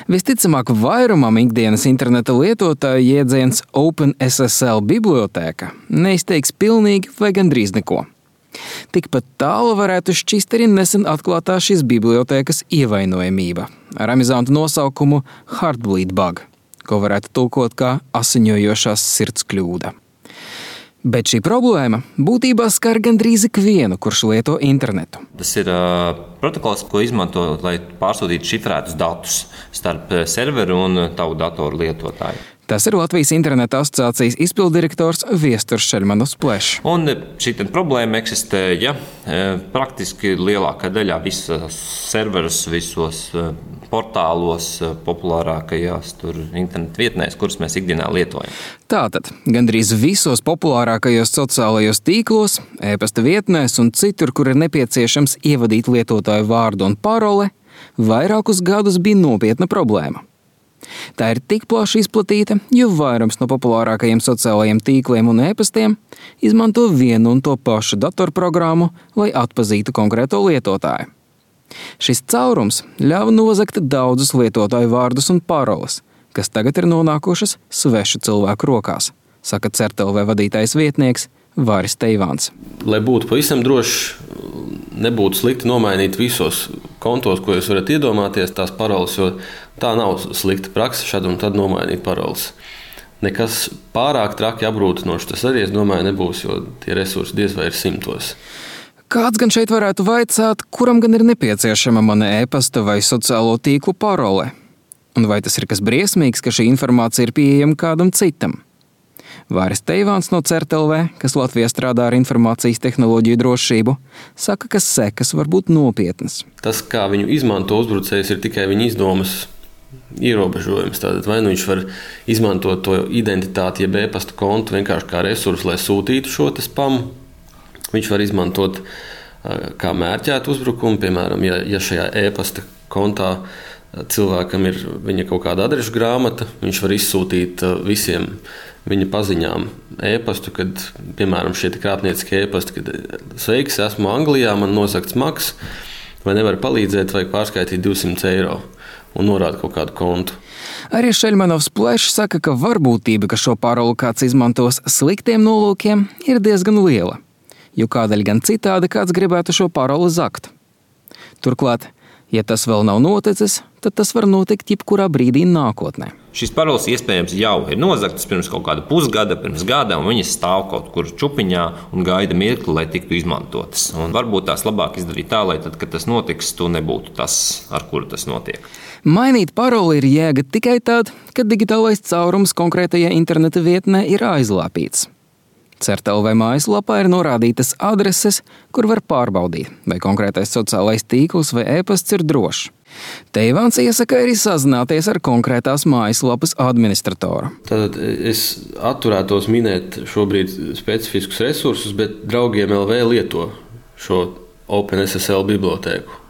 Visticamāk, vairumam ikdienas interneta lietotāju jēdziens OpenSSL bibliotēka neizteiks pilnīgi vai gandrīz neko. Tikpat tālu varētu šķist arī nesen atklātā šīs bibliotēkas ievainojamība ar amizantu nosaukumu Heartbleed bug, ko varētu tulkot kā asiņojošās sirds kļūda. Bet šī problēma būtībā skar gandrīz ikvienu, kurš lieto internetu. Tas ir protokols, ko izmanto, lai pārsūtītu šifrētus datus starp serveru un tavu datoru lietotāju. Tas ir Latvijas interneta asociācijas izpilddirektors Viesturs Šeļmanovs Plešs. Un šī problēma eksistē, praktiski lielākā daļā visos serverus, visos portālos, populārākajās internetu vietnēs, kuras mēs ikdienā lietojam. Tātad, gandrīz visos populārākajos sociālajos tīklos, e-pasta vietnēs un citur, kur ir nepieciešams ievadīt lietotāju vārdu un paroli, vairākus gadus bija nopietna problēma. Tā ir tik plaši izplatīta, jo vairums no populārākajiem sociālajiem tīkliem un e-pastiem izmanto vienu un to pašu datorprogrammu, lai atpazītu konkrēto lietotāju. Šis caurums ļāva nozagt daudzus lietotāju vārdus un paroles, kas tagad ir nonākušas svešu cilvēku rokās, saka CERT.LV vadītājs vietnieks Vāris Teivāns. Lai būtu pavisam droši, nebūtu slikti nomainīt visos kontos, ko jūs varat iedomāties, tās paroles, jo tā nav slikta praksa šad un tad nomainīt paroles. Nekas pārāk traki apgrūtinoši tas arī, es domāju, nebūs, jo tie resursi diez vai ir simtos. Kāds gan šeit varētu vaicāt, kuram gan ir nepieciešama mana e-pasta vai sociālo tīklu parole? Un vai tas ir kas briesmīgs, ka šī informācija ir pieejama kādam citam? Vāris Teivāns no CERT.LV, kas Latvijā strādā ar informācijas tehnoloģiju drošību, saka, ka sekas var būt nopietnas. Tas, kā viņu izmanto uzbrucējs, ir tikai viņa izdomas ierobežojums. Tātad vai nu viņš var izmantot to identitāti, jeb e-pasta kontu vienkārši kā resursu, lai sūtītu šo spamu. Viņš var izmantot kā mērķētu uzbrukumu, piemēram, ja šajā e-pasta kontā cilvēkam ir viņa kaut kāda adrešu grāmata, viņš var izsūtīt visiem viņa paziņām e-pastu, kad, piemēram, šie krāpnieciskie e-pasti, kad sveiks, esmu Anglijā, man nozagts maks, vai nevar palīdzēt, vajag pārskaitīt 200 eiro un norāda kaut kādu kontu. Arī Šeļmanovs Plešs saka, ka varbūtība, ka šo paroli kāds izmantos sliktiem nolūkiem, ir diezgan liela, jo kādēļ gan citādi kāds gribētu šo paroli zagt. Turklāt, ja tas vēl nav noticis, tad tas var notikt jebkurā brīdī nākotnē. Šīs paroles iespējams jau ir nozagtas pirms kaut kāda pusgada, pirms gada, un viņas stāv kaut kur čupiņā un gaida mirkli, lai tiktu izmantotas. Un varbūt tās labāk izdarīt tā, lai tad, kad tas notiks, tu nebūtu tas, ar kuru tas notiek. Mainīt paroli ir jēga tikai tad, kad digitālais caurums konkrētajā interneta vietnē ir aizlāpīts. CERT.LV mājaslapā ir norādītas adreses, kur var pārbaudīt, vai konkrētais sociālais tīkls vai e-pasts ir drošs. Teivāns iesaka arī sazināties ar konkrētās mājaslapas administratoru. Tātad es atturētos minēt šobrīd specifiskus resursus, bet draugiem LV lieto šo OpenSSL bibliotēku.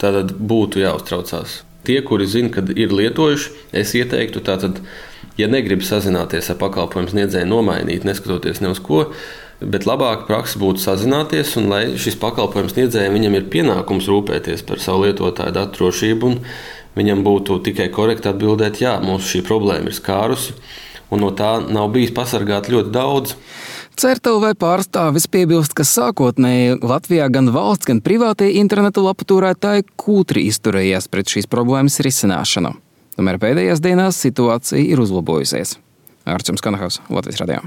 Tātad būtu jāuztraucās. Tie, kuri zina, kad ir lietojuši, es ieteiktu tātad, ja negrib sazināties ar pakalpojumu sniedzēju, nomainīt, neskatoties ne uz ko, bet labāka praksa būtu sazināties, un lai šis pakalpojumu sniedzējiem viņam ir pienākums rūpēties par savu lietotāju datu drošību, un viņam būtu tikai korekti atbildēt, jā, mūsu šī problēma ir skārusi, un no tā nav bijis pasargāt ļoti daudz. CERT.LV pārstāvis piebilst, ka sākotnēji Latvijā gan valsts, gan privātie interneta lapu turētāji kūtri izturējās pret šīs problēmas risināšanu. Tomēr pēdējās dienās situācija ir uzlabojusies. Ārčums Kanahaus, Latvijas radio.